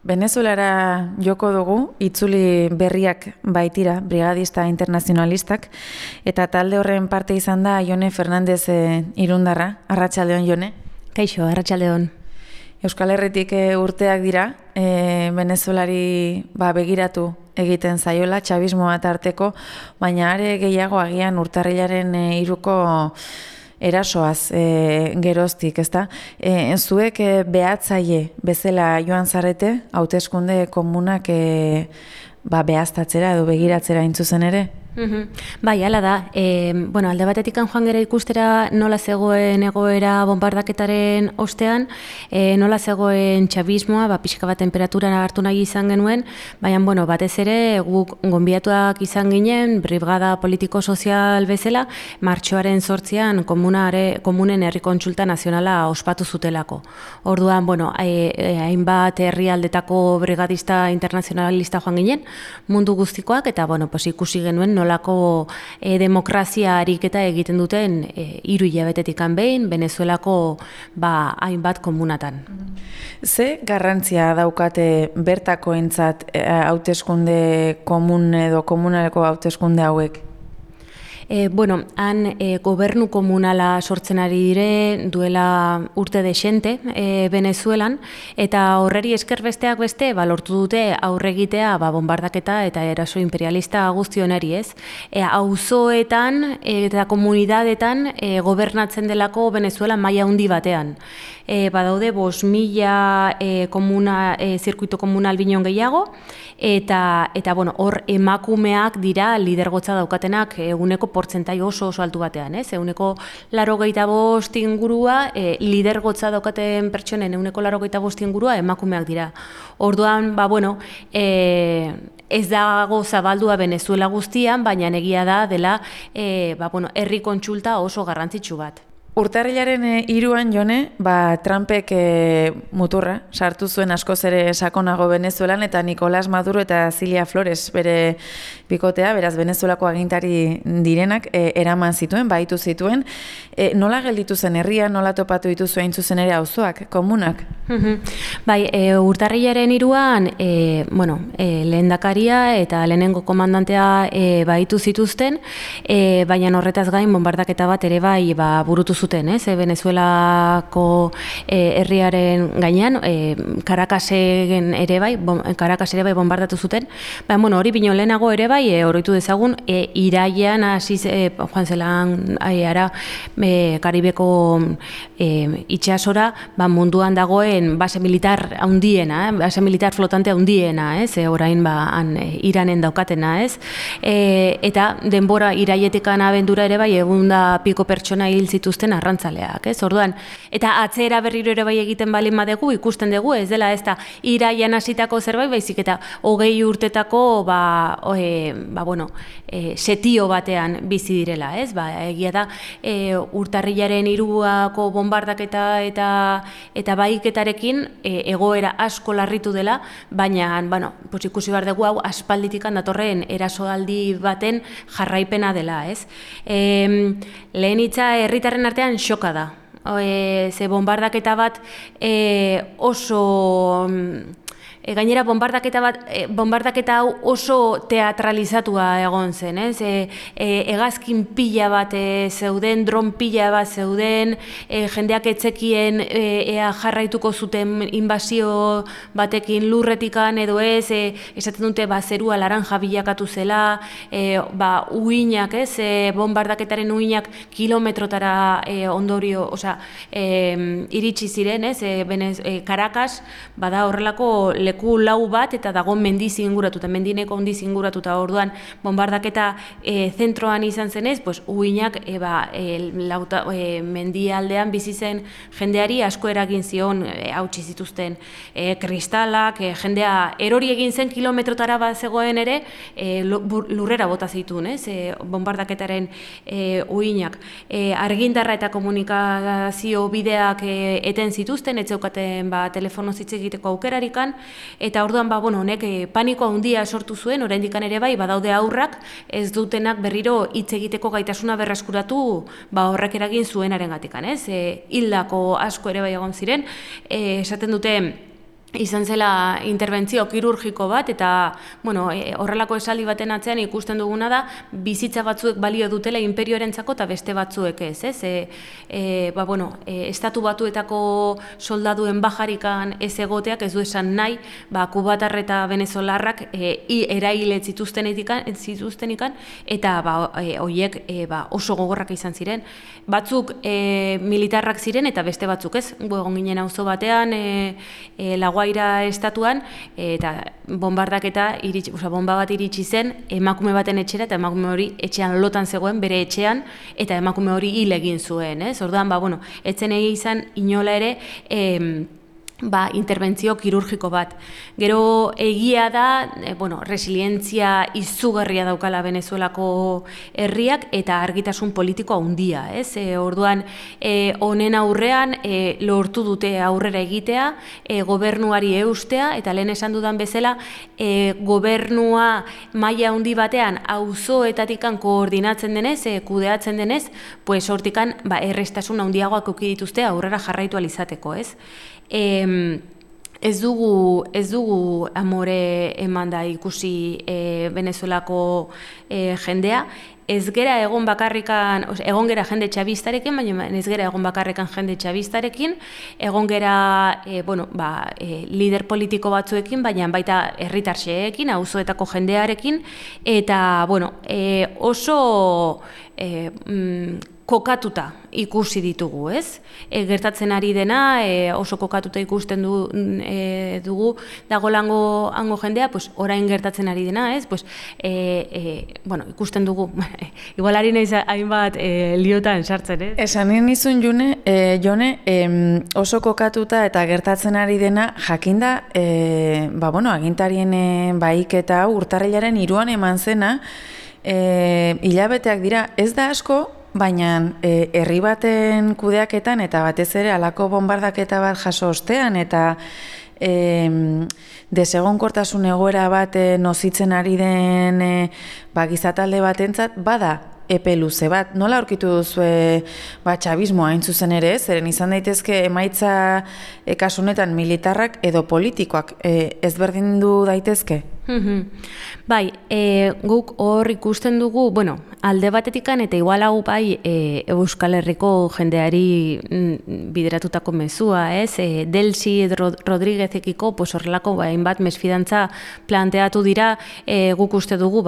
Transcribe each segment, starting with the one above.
Venezuelara joko dugu, itzuli berriak baitira, brigadista internazionalistak, eta talde horren parte izan da Jone Fernandez Irundarra. Arratsaldeon, Jone. Kaixo, arratsaldeon. Euskal Herritik urteak dira, Venezuelari begiratu egiten zaiola, txabismoa tarteko, baina are gehiago agian urtarrilaren 3ko erasoaz geroztik, ezta? Zuek behatzaile bezala joan zarete, hauteskunde komunak behaztatzera edo begiratzera intzuzen ere? Bai, hala da. Alde batetik joan gera ikustera nola zegoen egoera bombardaketaren ostean, nola zegoen txabismoa, pixka bat temperatura hartu nahi izan genuen, baina batez ere guk gonbidatuak izan ginen, brigada politiko-sozial bezala, martxoaren 8an komunen herri kontsulta nazionala ospatu zutelako. Orduan, hainbat herrialdetako brigadista internazionalista joan ginen, mundu guztikoak, eta ikusi genuen nolako demokrazia ariketa egiten duten 3 hilabetetik behin Venezuelako hainbat komunatan. Ze garrantzia daukate bertakoentzat hauteskunde komun edo komunaleko hauteskunde hauek? Han gobernu komunala sortzen ari dire duela urte dexente Venezuelan, eta horreri esker besteak beste lortu dute aurregitea bombardaketa eta eraso imperialista guztionari, ez? Auzoetan eta komunidadetan gobernatzen delako Venezuela maila handi batean. Badaude 5.000 zirkuito komunal binon gehiago, eta hor emakumeak dira lidergotza daukatenak eguneko portzentai oso altu batean, ez? Eguneko 85 ingurua, lidergotza daukaten pertsonen eguneko 85 ingurua emakumeak dira. Orduan, ez dago zabaldua Venezuela guztian, baina egia da dela herri kontsulta oso garrantzitsu bat. Urtarrilaren 3an, Jone, Trumpek muturra sartu zuen askoz ere sakonago Venezuelan, eta Nicolás Maduro eta Cilia Flores bere bikotea, beraz Venezuelako agintari direnak, eraman zituen, baitu zituen. Nola gelditu zen herria, nola topatu dituzu hain zuzen ere auzoak, komunak? Urtarrilaren 3an, lehendakaria eta lehenengo komandantea baitu zituzten, baina horretaz gain bombardaketa bat ere burutu zuten, Venezuelako herriaren gainean, Caracasen ere bombardatu zuten. Hori bino lehenago ere oroitu dezagun, irailean hasi joan zelan Karibeko itsasora munduan dagoen base militar handiena, base militar flotante handiena, orain Iranen daukatena, eta denbora irailetik abendura ere 100 piko pertsona hil zituzten arrantzaleak, ez? Orduan, eta atzera berriro ere egiten balin badegu, ikusten dugu, ez dela ez da irailean hasitako zerbait, baizik eta 20 urtetako setio batean bizi direla, ez? Egia da urtarrilaren 3ako bombardaketa eta baiketarekin egoera asko larritu dela, baina ikusi behar dugu hau aspalditikan datorren erasoaldi baten jarraipena dela, ez? Lehen hitza herritarren artean xoka da. Ze bombardaketa bat oso... Gainera, bombardaketa hau oso teatralizatua egon zen, ez? Hegazkin pila bat zeuden, dron pila bat zeuden, jendeak etzekien ea jarraituko zuten inbasio batekin lurretikan edo ez, esaten dute zerua laranja bilakatu zela, uinak, ez? Bombardaketaren uinak kilometrotara ondorio, iritsi ziren, ez? Caracas, bada horrelako leku lau bat eta dago mendiz inguratuta, mendineko handiz inguratuta. Orduan bombardaketa zentroan izan zenez, uinak mendialdean bizi zen jendeari asko eragin zion, hautsi zituzten kristalak, jendea erori egin zen kilometrotara bat zegoen ere, lurrera bota zituen, bombardaketaren uinak. Argindarra eta komunikazio bideak eten zituzten, ez zeukaten telefono hitz egiteko aukerarikan, eta orduan honek paniko handia sortu zuen, oraindikan ere badaude aurrak ez dutenak berriro hitz egiteko gaitasuna berreskuratu horrek eragin zuenarengatikan, hildako asko ere egon ziren, esaten dute izan zela interbentzio kirurgiko bat, eta horrelako esaldi baten atzean ikusten duguna da, bizitza batzuek balio dutela inperioarentzako eta beste batzuek ez. Estatu Batuetako soldaduen bajarikan ez egoteak ez du esan nahi, kubatar eta venezolarrak eraile zituztenikan, eta horiek oso gogorrak izan ziren. Batzuk militarrak ziren eta beste batzuk ez. Egon ginen auzo batean, Laguaira estatuan, eta bomba bat iritsi zen emakume baten etxera, eta emakume hori etxean lotan zegoen, bere etxean, eta emakume hori hil egin zuen. Orduan, etzen izan inola ere interbentzio kirurgiko bat. Gero egia da, resilientzia izugarria daukala Venezuelako herriak eta argitasun politiko handia. Orduan, honen aurrean lortu dute aurrera egitea, gobernuari eustea, eta lehen esan dudan bezala, gobernua maila handi batean auzoetatikan koordinatzen denez, kudeatzen denez, hortikan errestasun handiagoak eduki dituzte aurrera jarraitu alizateko. Ez dugu amore eman da ikusi Venezuelako jendea, ez gera egon bakarrikan, egon gera jende txabistarekin, baina ez gera egon bakarrikan jende txabistarekin, egon gera lider politiko batzuekin, baina baita herritarxeekin, auzoetako jendearekin, eta oso kokatuta ikusi ditugu, ez? Gertatzen ari dena, oso kokatuta ikusten dugu dagolango hango jendea, orain gertatzen ari dena, ez? Ikusten dugu, igual ari naiz hainbat liotan sartzen, ez? Esan nizun Jone, oso kokatuta eta gertatzen ari dena, jakinda, agintarien bahiketa urtarrilaren 3 eman zena, hilabeteak dira, ez da asko, baina herri baten kudeaketan eta batez ere halako bombardaketa bat jaso ostean eta desegonkortasun egoera bat nozitzen ari den gizatalde batentzat bada epe luze bat. Nola aurkitu duzue txabismoa hain zuzen ere, zeren izan daitezke emaitza kasu honetan militarrak edo politikoak ezberdindu daitezke? Bai, guk hor ikusten dugu, alde batetikan eta igual hau Euskal Herriko jendeari bideratutako mezua, ez? Delsi Rodríguezekiko horrelako hainbat mesfidantza planteatu dira, guk uste dugu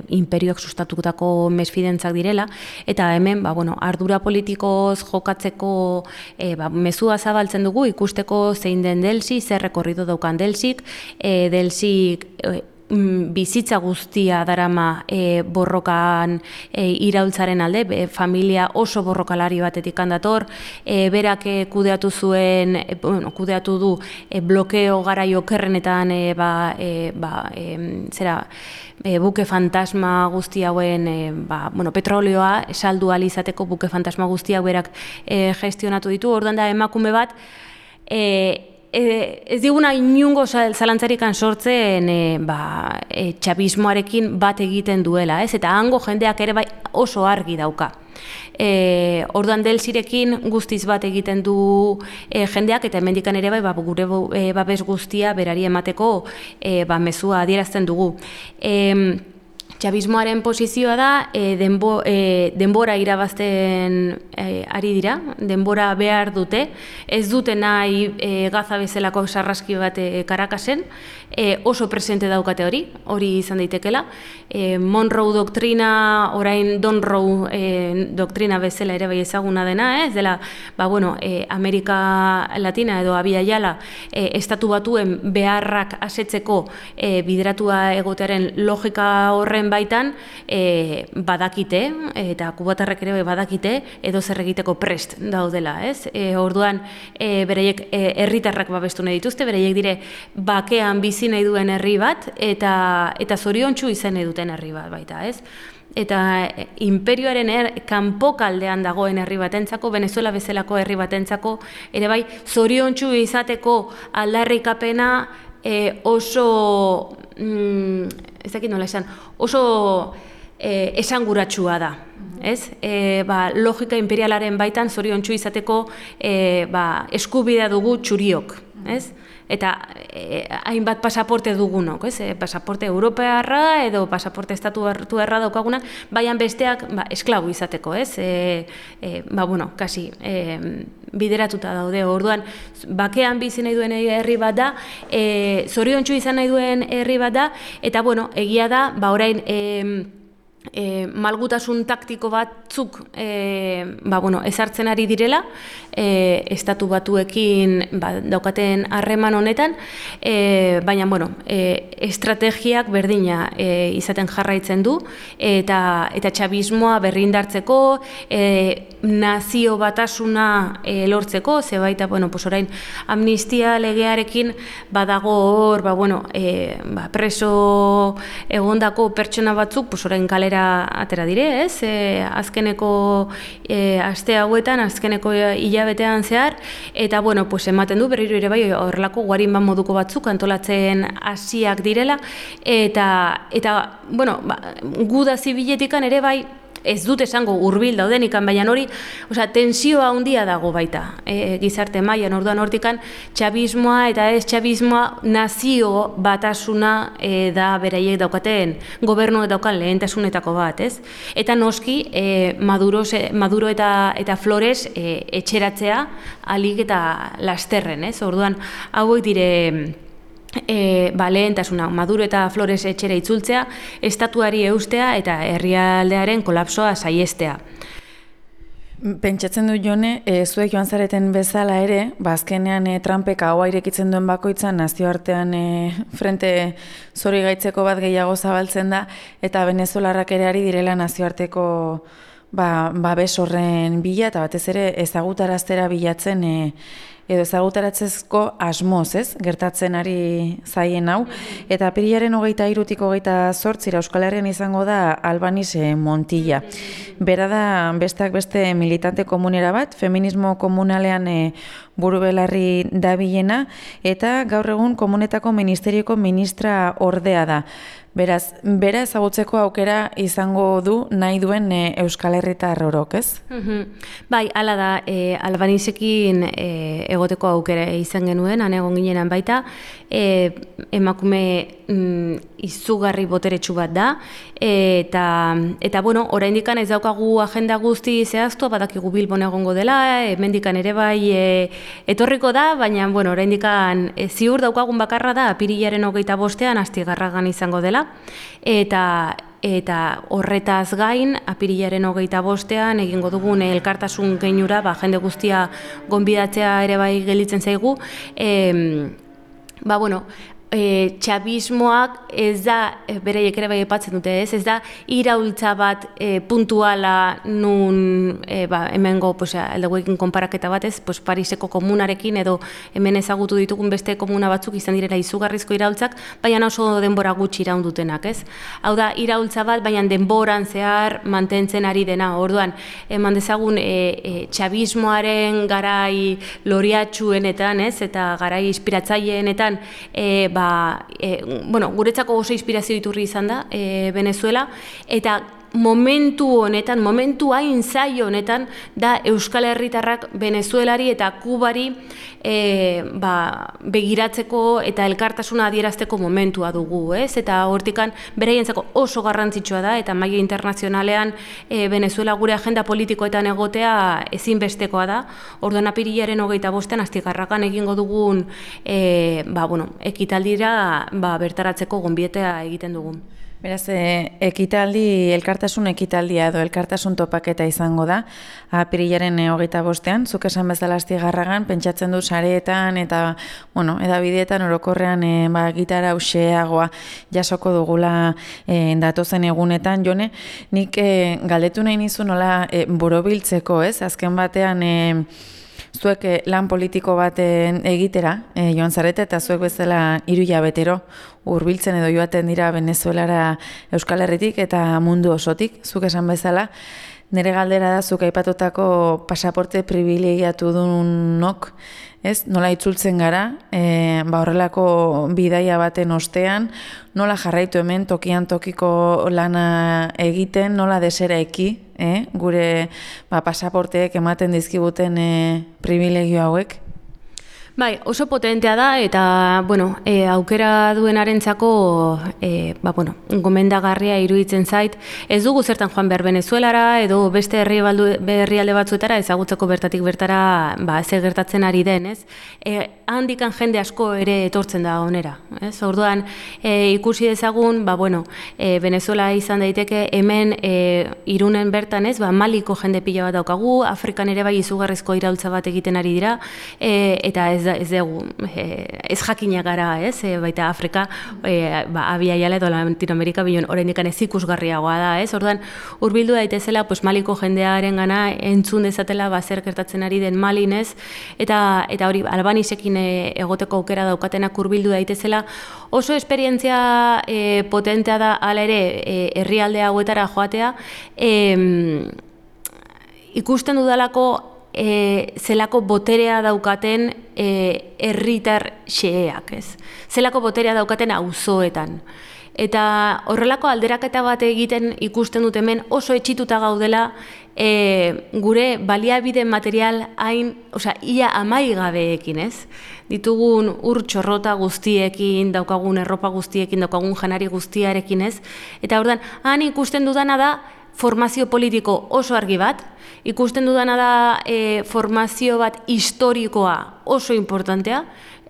imperioak sustatutako mesfidantzak direla, eta hemen ardura politikoz jokatzeko mezua zabaltzen dugu, ikusteko zein den Delsi, zer rekorrido daukan Delsik, Delsik bizitza guztia darama borrokan iraultzaren alde, familia oso borrokalari batetik handator, berak kudeatu du blokeo garai okerrenetan buke fantasma guzti hauen, petrolioa saldu ahal izateko buke fantasma guztiak berak gestionatu ditu. Orduan da emakume bat, ez diguna inungo zalantzarikan sortzen txabismoarekin bat egiten duela, ez? Eta hango jendeak ere oso argi dauka. Orduan Delsirekin guztiz bat egiten du jendeak, eta hemendikan ere gure babes guztia berari emateko mezua adierazten dugu. Txabismoaren posizioa da, denbora irabazten ari dira, denbora behar dute, ez dute nahi Gaza bezalako sarraski bat Caracas'en, oso presente daukate hori izan daitekela. Monroe doktrina, orain Donroe doktrina bezala ere bai ezaguna dena, ez dela, Amerika Latina edo Abia Yala estatu batuen beharrak asetzeko bideratua egotearen logika horren baitan badakite, eta kubatarrek ere badakite, edo zer egiteko prest daudela, ez? Orduan, bereiek herritarrak babestu nahi dituzte, bereiek dire bakean bizi nahi duen herri bat, eta zoriontsu izan nahi duten herri bat baita, ez? Eta imperioaren kanpokaldean dagoen herri batentzako, Venezuela bezalako herri batentzako, ere bai, zoriontsu izateko aldarrikapena oso, ez dakit nola esan, oso esanguratsua da, ez? Logika imperialaren baitan zoriontsu izateko eskubidea dugu txuriok, ez? Eta hainbat pasaporte dugunok, ez? Pasaporte europearra edo pasaporte estatuarra daukagunak, baian besteak esklabu izateko, ez? Kasi bideratuta daude. Orduan, bakean bizi nahi duen herri bat da, zoriontsu izan nahi duen herri bat da, eta egia da, orain malgutasun taktiko batzuk ezartzen ari direla, estatu batuekin daukaten harreman honetan, baina estrategiak berdina izaten jarraitzen du, eta txabismoa berrindartzeko, nazio batasuna lortzeko, zebaita, orain amnistia legearekin badago hor, preso egondako pertsona batzuk, orain kalera atera dire, ez? Azkeneko aste hauetan, azkeneko hilabetean zehar, eta ematen du berriro ere bai horrelako guarinban moduko batzuk antolatzen hasiak direla, eta guda zibiletikan ere bai ez dut esango hurbil daudenikan, baina hori, tensioa handia dago baita gizarte mailan. Orduan hortikan txabismoa eta ez txabismoa nazio batasuna da beraiek daukaten gobernuek daukan lehentasunetako bat, ez? Eta noski Maduro eta Flores etxeratzea ahalik eta lasterren, ez? Orduan hauek dire lehentasuna, Maduro eta Flores etxera itzultzea, estatuari eustea eta herrialdearen kolapsoa saihestea. Pentsatzen du Jone, zuek joan zareten bezala ere, azkenean Trumpek ahoa irekitzen duen bakoitzan nazioartean frente zori gaitzeko bat gehiago zabaltzen da, eta venezolarrak ere ari direla nazioarteko babes horren bila, eta batez ere ezagutaraztera bilatzen edo ezagutaratzezko asmoz, ez? Gertatzen ari zaien hau. Eta apirilaren 23-tik 28 Euskal Herrian izango da Albanis Montilla. Bera da besteak beste militante komunera bat, feminismo komunalean burubelarri dabilena, eta gaur egun komunetako ministerioko ministra ordea da. Beraz, bera ezagutzeko aukera izango du nahi duen Euskal Herritar orok, ez? Bai, hala da, Albanisekin egoteko aukera izan genuen, han egon ginenan baita, emakume izugarri boteretsu bat da, eta oraindikan ez daukagu agenda guzti zehaztua, badakigu Bilbon egongo dela, hemendikan ere bai etorriko da, baina oraindikan ziur daukagun bakarra da, apirilaren 25ean Astigarragan izango dela, eta horretaz gain, apirilaren 25ean egingo dugun elkartasun keinura, jende guztia gonbidatzea ere bai gelditzen zaigu, txabismoak ez da, bereiek ere bai epatzen dute, ez da iraultza bat puntuala nun hemengo aldeguekin konparaketa bat, ez, Pariseko komunarekin edo hemen ezagutu ditugun beste komuna batzuk izan direla izugarrizko iraultzak, baina oso denbora gutxi iraundutenak, ez? Hau da, iraultza bat, baina denboran zehar mantentzen ari dena. Orduan, eman dezagun txabismoaren garai loriatsuenetan, ez, eta garai inspiratzaileenetan, guretzako oso inspirazio iturri izan da Venezuela, eta momentu honetan, momentu hain zaio honetan, da Euskal Herritarrak Venezuelari eta Kubari begiratzeko eta elkartasuna adierazteko momentua dugu, ez? Eta hortikan beraientzako oso garrantzitsua da, eta maila internazionalean Venezuela gure agenda politikoetan egotea ezinbestekoa da. Orduan apirilaren 25ean Astigarragan egingo dugun ekitaldira bertaratzeko gonbietea egiten dugu. Beraz, elkartasun ekitaldia edo elkartasun topaketa izango da, apirilaren 25ean, zuk esan bezala Astigarragan, pentsatzen du sareetan eta, edabideetan orokorrean gitara hauxeagoa jasoko dugula datozen egunetan. Jone, nik galdetu nahi nizu nola borobiltzeko, ez? Azken batean, zuek lan politiko baten egitera joan zarete, eta zuek bezala 3 hilabetero hurbiltzen edo joaten dira Venezuelara Euskal Herritik eta mundu osotik, zuk esan bezala. Nire galdera da, zuk aipatutako pasaporte privilegiatu dunok, ez? Nola itzultzen gara, horrelako bidaia baten ostean, nola jarraitu hemen tokian tokiko lana egiten, nola desera eki, gure pasaporteek ematen dizkibuten privilegio hauek? Bai, oso potentea da eta, bueno, aukera duenarentzako, gomendagarria iruditzen zait. Ez dugu zertan joan behar Venezuelara edo beste herrialde batzuetara ezagutzeko bertatik bertara ze gertatzen ari den, ez? Handikan jende asko ere etortzen da onera, ez? Orduan, ikusi dezagun, Venezuela izan daiteke hemen Irunen bertan, ez? Maliko jende pila bat daukagu, Afrikan ere bai izugarrizko iraultza bat egiten ari dira, eta ez dugu, ez jakinak gara, ez? Baita Afrika, Abiaiala edo Latinoamerika bion oraindik ez ikusgarriagoa da, ez? Orduan, hurbildu daitezela, Maliko jendearen gana entzun dezatela zer gertatzen ari den Malin, ez? Eta hori, Albanisekin egoteko aukera daukatenak hurbildu daitezela, oso esperientzia potentea da hala ere herrialde hauetara joatea, ikusten dudalako zelako boterea daukaten herritar xeheak, ez? Zelako boterea daukaten auzoetan. Eta horrelako alderaketa bat egiten ikusten dut hemen oso etxituta gaudela gure baliabide material ia amaigabeekin, ez? Ditugun ur txorrota guztiekin, daukagun erropa guztiekin, daukagun janari guztiarekin, ez? Eta orduan, han ikusten dudana da formazio politiko oso argi bat, ikusten dudana da formazio bat historikoa oso importantea,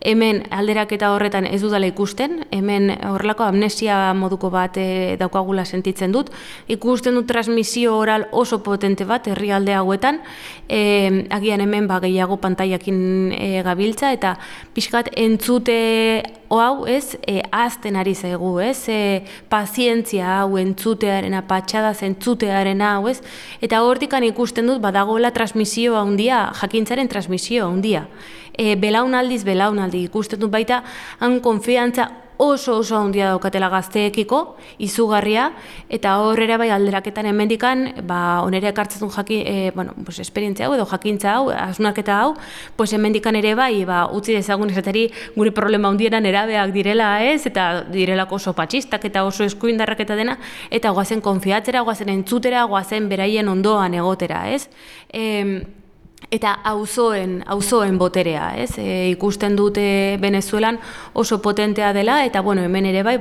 hemen alderaketa horretan ez dudala ikusten, hemen horrelako amnesia moduko bat daukagula sentitzen dut, ikusten dut transmisio oral oso potente bat herrialde hauetan, agian hemen gehiago pantailakin gabiltza, eta pixkat entzute hau, ez, ahazten ari zaigu, ez, pazientzia hau entzutearena, patxadaz entzutearena hau, ez, eta hortikan ikusten dut badagoela transmisio handia, jakintzaren transmisio handia. Belaunaldiz belaunaldi ikusten dut baita, han konfiantza oso handia daukatela gazteekiko, izugarria, eta horrera bai alderaketan hemendikan, onere ekartzen dut esperientzia hau edo jakintza hau, hausnarketa hau, hemendikan ere bai, utzi dezagun esateri gure problema handiena nerabeak direla, ez, eta direlako oso patxistak eta oso eskuindarrak eta dena, eta goazen konfiatzera, goazen entzutera, goazen beraien ondoan egotera, ez? Eta auzoen boterea, ez? Ikusten dute Venezuelan oso potentea dela, eta hemen ere bai,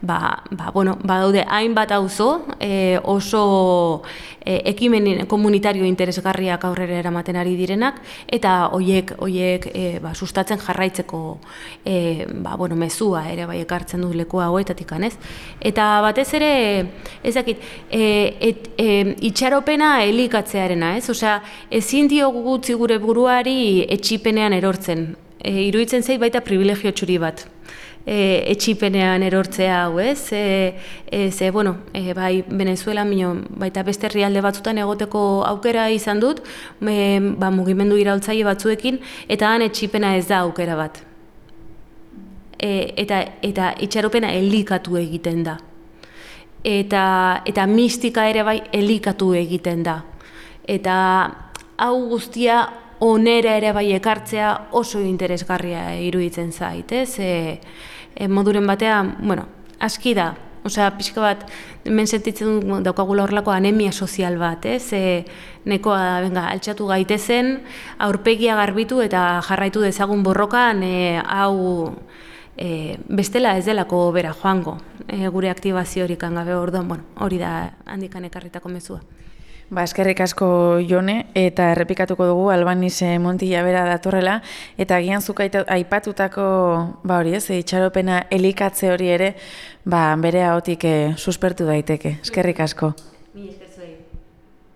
badaude hainbat auzo, oso ekimen komunitario interesgarriak aurrera eramaten ari direnak, eta hoiek sustatzen jarraitzeko mezua ere bai ekartzen du leku hauetatik, ez? Eta batez ere, ez dakit, itxaropena elikatzearena, ez? Osea, ezin diogu gutzi gure buruari etxipenean erortzen. Iruditzen zait baita privilegio txuri bat. Etxipenean erortzea hau, ez? Bai, Venezuela, baita beste herrialde batzutan egoteko aukera izan dut, mugimendu iraultzaile batzuekin, eta han etxipena ez da aukera bat. Eta itxaropena elikatu egiten da. Eta mistika ere bai elikatu egiten da. Eta hau guztia onera ere bai ekartzea oso interesgarria iruditzen zait, ez? Moduren batean, aski da, osea, pixka bat, hemen sentitzen daukagula horrelako anemia sozial bat, ez? Nekoa da, altxatu gaitezen, aurpegia garbitu eta jarraitu dezagun borrokan, hau bestela ez delako bera joango, gure aktibaziorik gabe. Orduan, hori da handikan ekarritako mezua. Eskerrik asko Jone, eta errepikatuko dugu Albanize Montilla bera datorrela, eta agian zuk aipatutako itxaropena elikatze hori ere bere ahotik suspertu daiteke. Eskerrik asko.